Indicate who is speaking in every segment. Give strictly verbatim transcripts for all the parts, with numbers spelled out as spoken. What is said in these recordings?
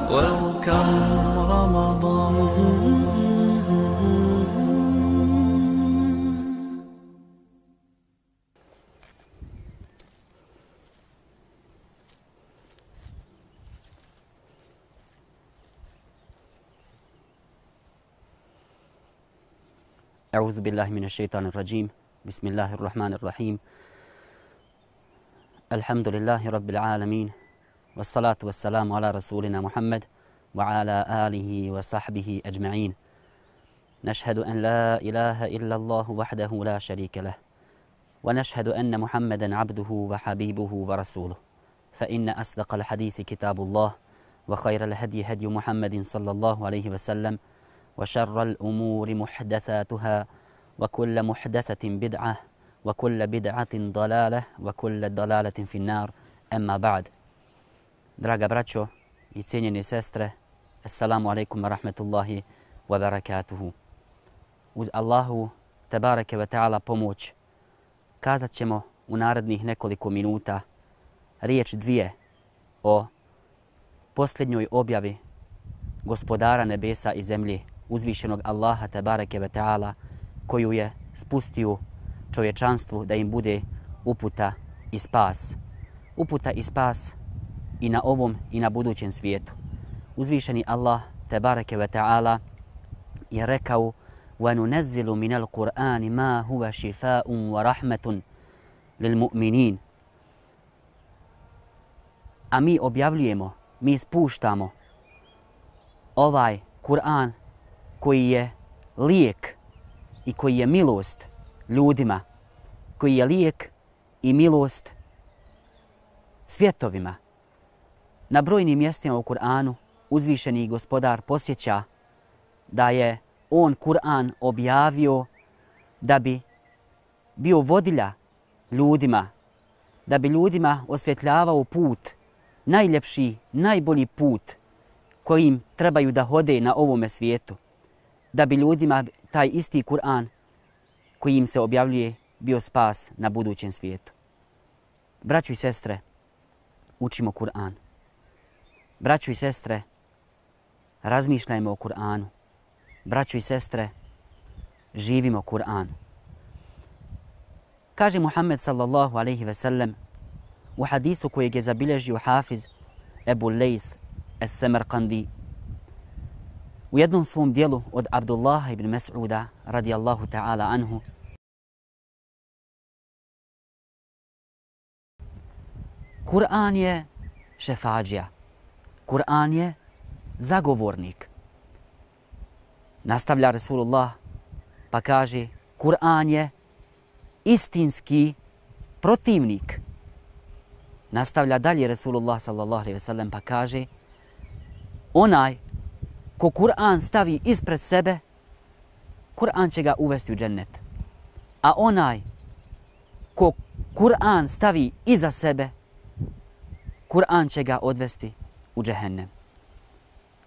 Speaker 1: Welcome Ramadan.
Speaker 2: أعوذ بالله من الشيطان الرجيم بسم الله الرحمن الرحيم الحمد لله رب العالمين والصلاة والسلام على رسولنا محمد وعلى آله وصحبه أجمعين نشهد أن لا إله إلا الله وحده لا شريك له ونشهد أن محمدا عبده وحبيبه ورسوله فإن أصدق الحديث كتاب الله وخير الهدي هدي محمد صلى الله عليه وسلم وشر الأمور محدثاتها وكل محدثة بدعة وكل بدعة ضلالة وكل ضلالة في النار أما بعد. Draga braćo i cijenjene sestre, assalamu alaikum wa rahmatullahi wa barakatuhu. Uz Allahu tebareke ve ta'ala pomoć kazat ćemo u narednih nekoliko minuta riječ dvije o posljednjoj objavi gospodara nebesa i zemlje, uzvišenog Allaha tebareke ve ta'ala, koju je spustio čovječanstvu da im bude uputa i spas. Uputa i spas i na ovom i na budućem svijetu. Uzvišeni Allah tebareke ve ta'ala je rekao: وَنُنَزِّلُ مِنَ الْقُرْآنِ مَا هُوَ شِفَاءٌ وَرَحْمَةٌ لِلْمُؤْمِنِينَ. A mi objavljujemo, mi spuštamo ovaj Kur'an koji je lijek i koji je milost ljudima, koji je lijek i milost svjetovima. Na brojnim mjestima u Kur'anu uzvišeni gospodar posjeća da je on Kur'an objavio da bi bio vodilja ljudima, da bi ljudima osvjetljavao put, najljepši, najbolji put kojim trebaju da hode na ovome svijetu, da bi ljudima taj isti Kur'an koji im se objavljuje bio spas na budućem svijetu. Braćo i sestre, učimo Kur'an. Braćo i sestre, razmišljajmo o Kur'anu. Braćo i sestre, živimo Kur'an. Kaže Muhammed sallallahu alaihi ve sellem u hadisu kojeg je zabilježio hafiz Ebu Lejs Es-Semerkandi u jednom svom dijelu od Abdullaha ibn Mas'uda radijallahu ta'ala anhu, Kur'an je šefađija. Kur'an je zagovornik. Nastavlja Rasulullah pa kaže: Kur'an je istinski protivnik. Nastavlja dalje Rasulullah sallallahu alejhi ve sellem pa kaže: onaj ko Kur'an stavi ispred sebe, Kur'an će ga uvesti u džennet. A onaj ko Kur'an stavi iza sebe, Kur'an će ga odvesti u džehennem.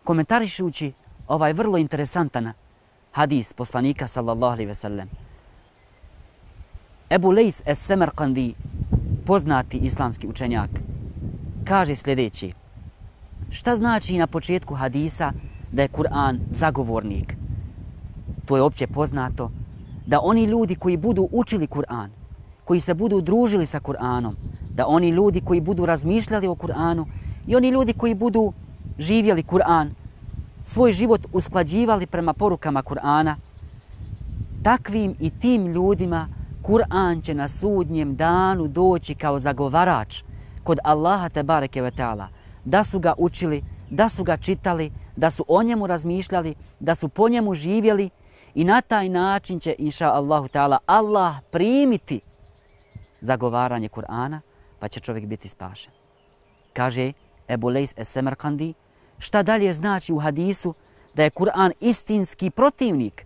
Speaker 2: Komentarišući ovaj vrlo interesantan hadis poslanika sallallahu alejhi ve sellem, Ebu Lejs Es-Semerkandi, poznati islamski učenjak, kaže sljedeći: šta znači na početku hadisa da je Kur'an zagovornik? To je opće poznato da oni ljudi koji budu učili Kur'an, koji se budu družili sa Kur'anom, da oni ljudi koji budu razmišljali o Kur'anu i oni ljudi koji budu živjeli Kur'an, svoj život usklađivali prema porukama Kur'ana, takvim i tim ljudima Kur'an će na sudnjem danu doći kao zagovarač kod Allaha tebareke ve ta'ala, da su ga učili, da su ga čitali, da su o njemu razmišljali, da su po njemu živjeli i na taj način će, inša Allahu ta'ala, Allah primiti zagovaranje Kur'ana pa će čovjek biti spašen. Kaže Ebu Lejs Es-Semerkandi, šta dalje znači u hadisu da je Kur'an istinski protivnik?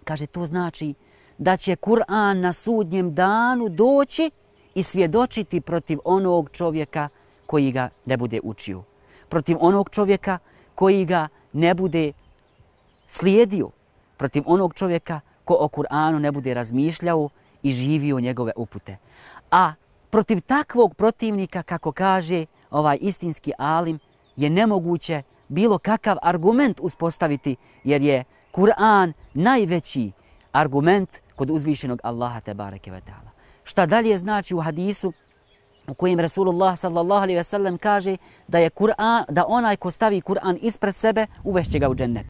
Speaker 2: Kaže, to znači da će Kur'an na sudnjem danu doći i svjedočiti protiv onog čovjeka koji ga ne bude učio, protiv onog čovjeka koji ga ne bude slijedio, protiv onog čovjeka ko o Kur'anu ne bude razmišljao i živio njegove upute. A protiv takvog protivnika, kako kaže ovaj istinski alim, je nemoguće bilo kakav argument uspostaviti, jer je Kur'an najveći argument kod uzvišenog Allaha tebareke ve ta'ala. Šta dalje znači u hadisu u kojem Rasulullah sallallahu alejhi ve sellem kaže da je Kur'an, da onaj ko stavi Kur'an ispred sebe uvešće ga u džennet.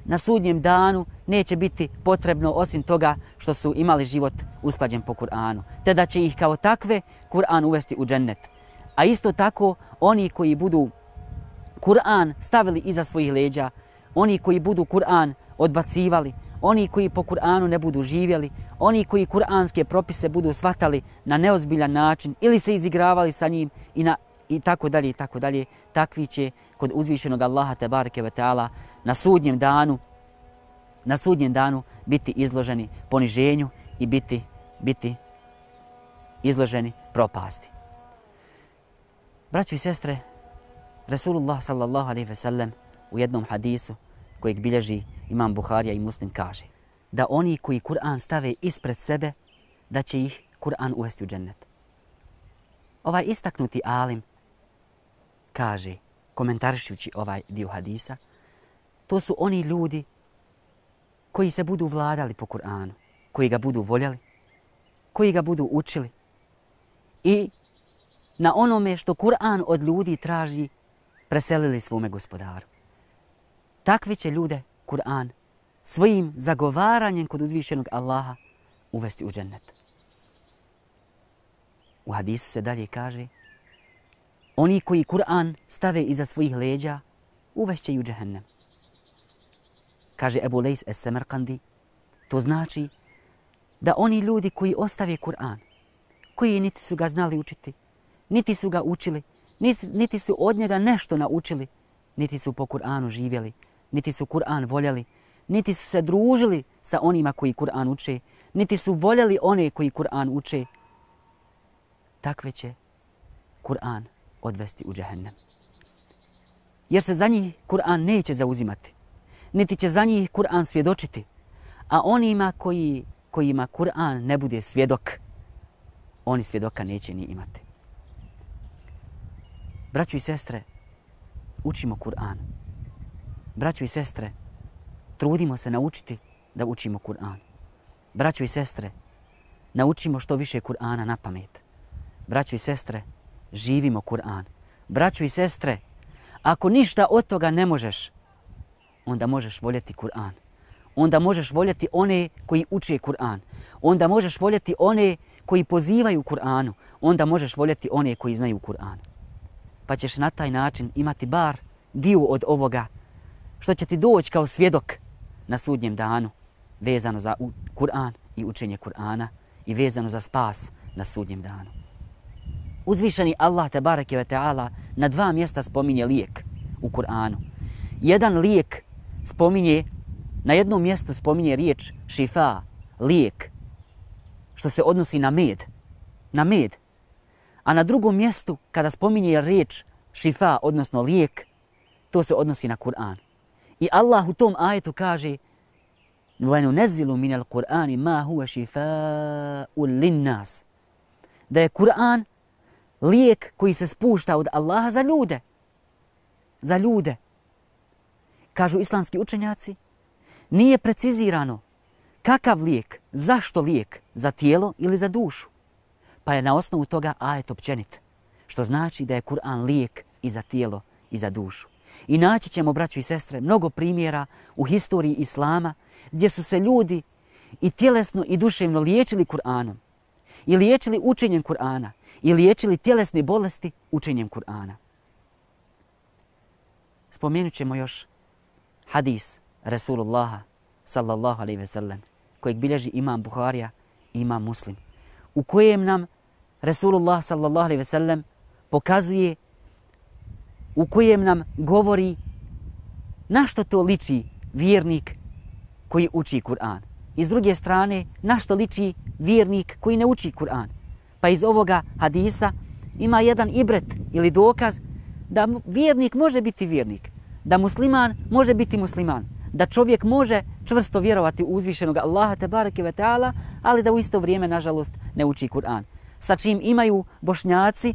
Speaker 2: Na sudnjem danu neće biti potrebno osim toga što su imali život usklađen po Kur'anu, te da će ih kao takve Kur'an uvesti u džennet. A isto tako oni koji budu Kur'an stavili iza svojih leđa, oni koji budu Kur'an odbacivali, oni koji po Kur'anu ne budu živjeli, oni koji kur'anske propise budu shvatali na neozbiljan način ili se izigravali sa njim i, na, i tako dalje i tako dalje, takvi će kod uzvišenog Allaha tebareke ve ta'ala na sudnjem danu na sudnjem danu biti izloženi poniženju i biti, biti izloženi propasti. Braćo i sestre, Rasulullah sallallahu alejhi ve sellem u jednom hadisu kojeg bilježi imam Buharija i Muslim kaže da oni koji Kur'an stave ispred sebe, da će ih Kur'an uvesti u džennet. Ovaj istaknuti alim kaže, komentarišući ovaj dio hadisa, to su oni ljudi koji se budu vladali po Kur'anu, koji ga budu voljeli, koji ga budu učili i na onome što Kur'an od ljudi traži preselili svome gospodaru. Takvi će ljude Kur'an svojim zagovaranjem kod uzvišenog Allaha uvesti u džennet. U hadisu se dalje kaže, oni koji Kur'an stave iza svojih leđa uvešće i u džehennem. Kaže Ebu Lejs es-Semerkandi, to znači da oni ljudi koji ostave Kur'an, koji niti su ga znali učiti, niti su ga učili, niti, niti su od njega nešto naučili, niti su po Kur'anu živjeli, niti su Kur'an voljeli, niti su se družili sa onima koji Kur'an uče, niti su voljeli one koji Kur'an uče, takve će Kur'an odvesti u džehennem. Jer se za njih Kur'an neće zauzimati, niti će za njih Kur'an svjedočiti, a onima koji, kojima Kur'an ne bude svjedok, oni svjedoka neće ni imati. Braćo i sestre, učimo Kur'an. Braćo i sestre, trudimo se naučiti da učimo Kur'an. Braćo i sestre, naučimo što više Kur'ana na pamet. Braćo i sestre, živimo Kur'an. Braćo i sestre, ako ništa od toga ne možeš, onda možeš voljeti Kur'an. Onda možeš voljeti one koji uče Kur'an. Onda možeš voljeti one koji pozivaju Kur'anu. Onda možeš voljeti one koji znaju Kur'an. Pa ćeš na taj način imati bar dio od ovoga što će ti doći kao svjedok na sudnjem danu vezano za Kur'an i učenje Kur'ana i vezano za spas na sudnjem danu. Uzvišeni Allah tebareke ve ta'ala na dva mjesta spominje lijek u Kur'anu. Jedan lijek spominje, na jednom mjestu spominje riječ šifa, lijek, što se odnosi na med, na med. A na drugom mjestu, kada spominje riječ šifa, odnosno lijek, to se odnosi na Kur'an. I Allah u tom ajetu kaže وَنُنَزِّلُ مِنَ الْقُرْآنِ مَا هُوَ شِفَاءٌ لِلنَّاسِ, da je Kur'an lijek koji se spušta od Allaha za ljude. Za ljude. Kažu islamski učenjaci, nije precizirano kakav lijek, zašto lijek, za tijelo ili za dušu. Pa je na osnovu toga ajet općenit, što znači da je Kur'an lijek i za tijelo i za dušu. I naći ćemo, braćo i sestre, mnogo primjera u historiji Islama gdje su se ljudi i tjelesno i duševno liječili Kur'anom, i liječili učenjem Kur'ana, i liječili tjelesne bolesti učenjem Kur'ana. Spomenut ćemo još hadis Rasulullaha sallallahu alejhi ve sellem, kojeg bilježi imam Buharija i imam Muslim, u kojem nam Rasulullah sallallahu alejhi ve sellem pokazuje, u kojem nam govori na što to liči vjernik koji uči Kur'an. I s druge strane, na što liči vjernik koji ne uči Kur'an. Pa iz ovoga hadisa ima jedan ibret ili dokaz da vjernik može biti vjernik, da musliman može biti musliman, da čovjek može čvrsto vjerovati u uzvišenog Allaha tebareke ve taala, ali da u isto vrijeme, nažalost, ne uči Kur'an. Sa čim imaju Bošnjaci,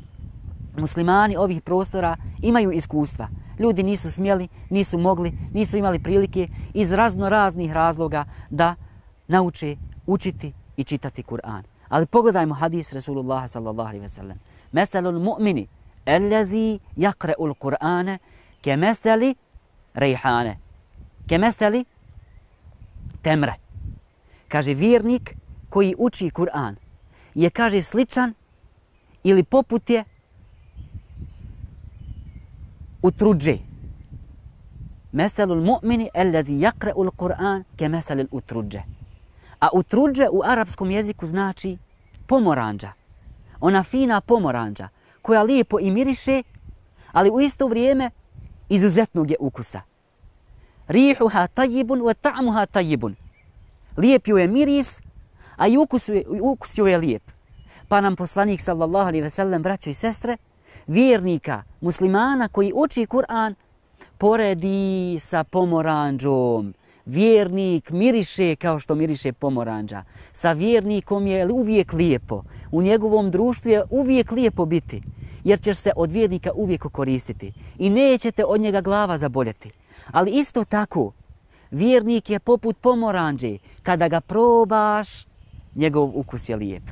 Speaker 2: muslimani ovih prostora, imaju iskustva. Ljudi nisu smjeli, nisu mogli, nisu imali prilike iz razno raznih razloga da nauče učiti i čitati Kur'an. Ali pogledajmo hadis Rasulullah sallallahu alejhi ve sellem. Meselul mu'mini allazi yaqra'ul Kur'ana kemeseli rejhane. Kemeseli temre. Kaže, vjernik koji uči Kur'an je, kaže, sličan ili poput je utruđe. Meselul mu'mini allazi yaqra'ul Kur'an kemeselil utruđe. A utruđe u arapskom jeziku znači pomoranđa. Ona fina pomoranđa koja lijepo i miriše, ali u isto vrijeme izuzetnog je ukusa. Rihuha tajibun wa ta'muha tajibun. Lijep joj je miris, a i ukus, ukus joj je lijep. Pa nam poslanik sallallahu alejhi ve sellem, braćo i sestre, vjernika, muslimana koji uči Kur'an, poredi sa pomoranđom. Vjernik miriše kao što miriše pomoranđa. Sa vjernikom je uvijek lijepo. U njegovom društvu je uvijek lijepo biti, jer ćeš se od vjernika uvijek koristiti i nećete od njega glava zaboljeti. Ali isto tako, vjernik je poput pomoranđe. Kada ga probaš, njegov ukus je lijep.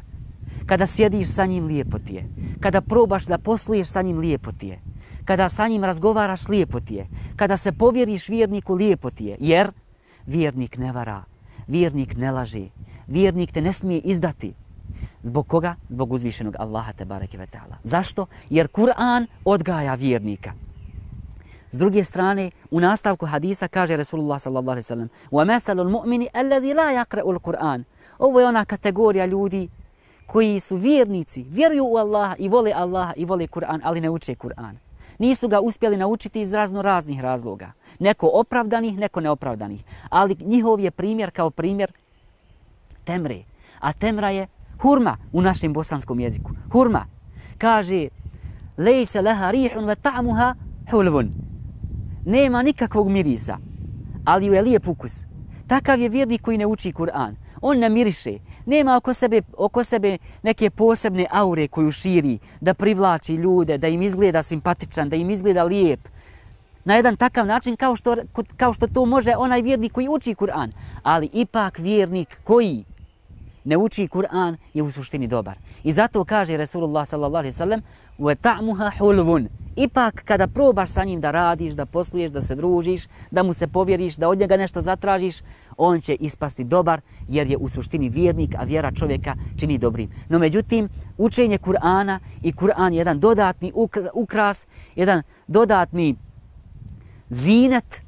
Speaker 2: Kada sjediš sa njim, lijepo ti je. Kada probaš da posluješ sa njim, lijepo ti je. Kada sa njim razgovaraš, lijepo ti je. Kada se povjeriš vjerniku, lijepo ti je. Jer vjernik ne vara, vjernik ne laže, vjernik te ne smije izdati. Zbog koga? Zbog uzvišenog Allaha tebareke ve taala. Zašto? Jer Kur'an odgaja vjernika. S druge strane, u nastavku hadisa kaže Rasulullah sallallahu alejhi ve sellem: "Wa masalul mu'mini alladhi la yaqra'ul Kur'an." Ovo je ona kategorija ljudi koji su vjernici, vjeruju u Allaha i vole Allaha i vole Kur'an, ali ne uče Kur'an. Nisu ga uspjeli naučiti iz razno raznih razloga. Neko opravdanih, neko neopravdanih. Ali njihov je primjer kao primjer temre. A temra je hurma u našem bosanskom jeziku. Hurma. Kaže, lejse leha rihun ve ta'muha hulvun. Nema nikakvog mirisa, ali je lijep ukus. Takav je vjernik koji ne uči Kur'an. On ne miriše. Nema oko sebe, oko sebe neke posebne aure koju širi, da privlači ljude, da im izgleda simpatičan, da im izgleda lijep. Na jedan takav način kao što, kao što to može onaj vjernik koji uči Kur'an. Ali ipak vjernik koji ne uči Kur'an je u suštini dobar. I zato kaže Rasulullah sallallahu alejhi ve sellem: "Wa ta'muha hulvun." Ipak kada probaš sa njim da radiš, da posluješ, da se družiš, da mu se povjeriš, da od njega nešto zatražiš, on će ispasti dobar jer je u suštini vjernik, a vjera čovjeka čini dobrim. No međutim, učenje Kur'ana i Kur'an je jedan dodatni ukras, jedan dodatni zinet,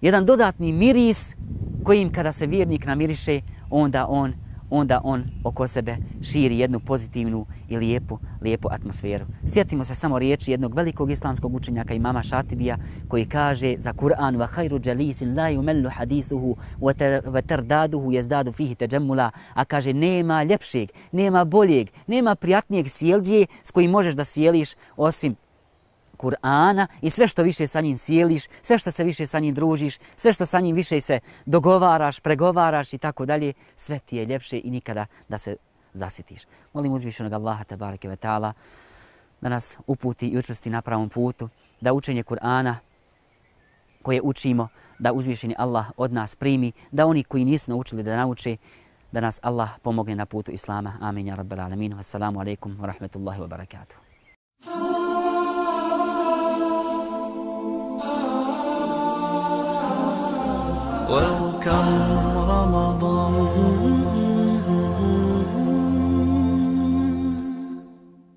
Speaker 2: jedan dodatni miris kojim kada se vjernik namiriše, onda on onda on oko sebe širi jednu pozitivnu i lijepu, lijepu atmosferu. Sjetimo se samo riječi jednog velikog islamskog učenjaka imama Šatibija koji kaže za Kur'an: "Wa khayru jalisin la yumallu hadithuhu wa tardaduhu yazdadu fihi tajammula." A kaže, nema ljepšeg, nema boljeg, nema prijatnijeg sjeldje s kojim možeš da sjeliš osim Kur'ana i sve što više sa njim sjeliš, sve što se više sa njim družiš, sve što sa njim više se dogovaraš, pregovaraš i tako dalje, sve ti je ljepše i nikada da se zasitiš. Molim uzvišenog Allaha tebareke ve taala da nas uputi i učvrsti na pravom putu, da učenje Kur'ana koje učimo, da uzvišeni Allah od nas primi, da oni koji nisu naučili da nauče, da nas Allah pomogne na putu Islama. Amin ja rabbal alamin. Assalamu alaikum wa rahmatullahi wa barakatuh.
Speaker 1: Welcome Ramadan.